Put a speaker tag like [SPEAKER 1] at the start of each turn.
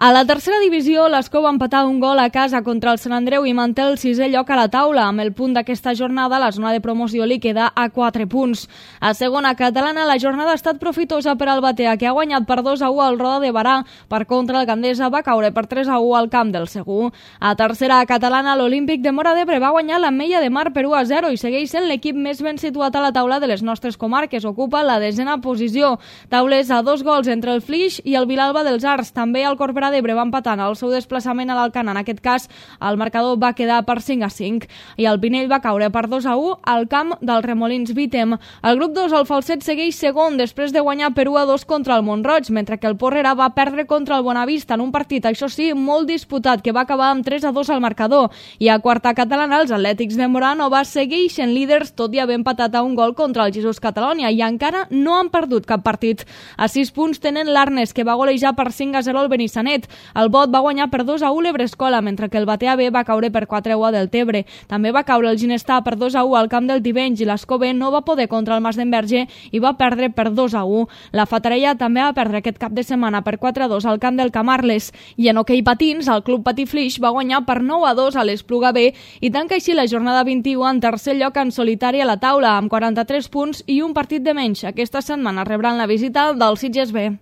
[SPEAKER 1] A la tercera divisió, l'Escó va empatar un gol a casa contra el Sant Andreu i manté el sisè lloc a la taula. Amb el punt d'aquesta jornada, la zona de promoció li queda a 4 punts. A segona catalana, la jornada ha estat profitosa per al Batea, que ha guanyat per 2-1 al Roda de Barà. Per contra, el Gandesa va caure per 3-1 al camp del Segur. A tercera catalana, l'Olímpic de Móra d'Ebre va guanyar l'Ametlla de Mar per 1-0 i segueix sent l'equip més ben situat a la taula de les nostres comarques. Ocupa la 10a posició. Taules a 2 gols entre el Flix i el Vilalba dels Arts. També el Corbera d'Ebre va empatant el seu desplaçament a l'Alcanar. En aquest cas, el marcador va quedar per 5-5 i el Pinell va caure per 2-1 al camp del Remolins Vítem. El grup 2, el Falset, segueix segon després de guanyar per 1-2 contra el Mont-roig, mentre que el Porrera va perdre contra el Bonavista en un partit, això sí, molt disputat, que va acabar amb 3-2 al marcador. I a quarta catalana, els Atlètics de Moranova segueixen líders, tot i haver empatat a un gol contra el Jesús Catalònia, i encara no han perdut cap partit. A 6 punts tenen l'Arnes, que va golejar per 5-0 al Benissanet. El Bot va guanyar per 2-1 l'Ebrescola, mentre que el Batea B va caure per 4-1 a Deltebre. També va caure el Ginestà per 2-1 al camp del Tivenys i l'Escó B no va poder contra el Mas d'Enverge i va perdre per 2-1. La Fatarella també va perdre aquest cap de setmana per 4-2 al camp del Camarles. I en hoquei patins, el Club Patí Flix va guanyar per 9-2 a l'Espluga B i tanca així la jornada 21 en tercer lloc en solitari a la taula, amb 43 punts i un partit de menys. Aquesta setmana rebran la visita del Sitges B.